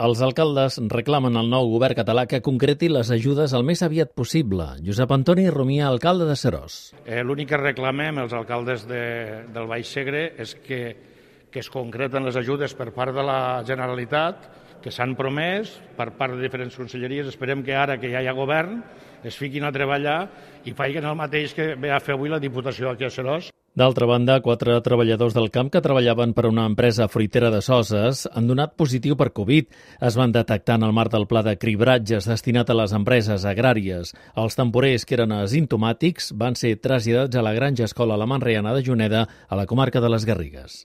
Els alcaldes reclamen al nou govern català que concreti les ajudes el més aviat possible. Josep Antoni Romia, alcalde de Seròs. L'únic que reclamem els alcaldes del Baix Segre és que es concreten les ajudes per part de la Generalitat, que s'han promès per part de diferents conselleries. Esperem que ara que ja hi ha govern es fiquin a treballar i facin el mateix que ve a fer avui la Diputació aquí a Seròs. D'altra banda, 4 treballadors del camp que treballaven per una empresa fruitera de Soses han donat positiu per Covid. Es van detectar en el marc del pla de cribratges destinat a les empreses agràries. Els temporers, que eren asimptomàtics, van ser traslladats a la Granja Escola La Manreana de Juneda, a la comarca de les Garrigues.